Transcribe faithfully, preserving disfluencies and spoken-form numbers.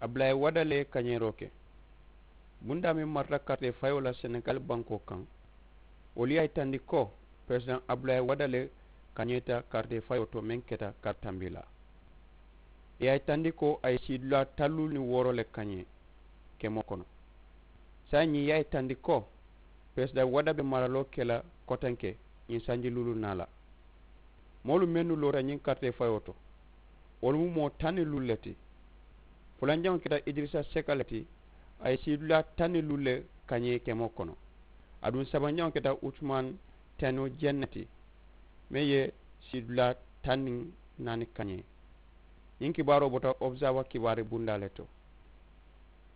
Abulayi wada le ye kañeeroo ke. Bundaa meŋ marata karitee fayoo la senegali bankoo kaŋ, wolu ye a yitandi ko peresidaŋ abulayi wada le kañeeta karitee fayoo to meŋ keta kari tambilaa. Ì ye a yitandi ko a ye siidulaa taŋ luulu niŋ wooro le kañee kemoo kono. Saayiŋ ñiŋ ì ye a yitandi ko peresidaŋ wada be maraloo ke la kotenke ñiŋ sanji luulu naa la. Moolu mennu loota ñiŋ karitee fayoo to, wolu mu moo taŋ niŋ luulu le ti. Fulanjaŋo keta idirisa seka le ti. A ye siidulaa taŋ niŋ luulu le kañee kemoo kono. Aduŋ sabanjaŋo keta utumaani teno jeŋ ne ti, meŋ ye siidulaa taŋ niŋ naani kañee. Ñiŋ kibaaroo bota obusaawa kibaari bundaa le to.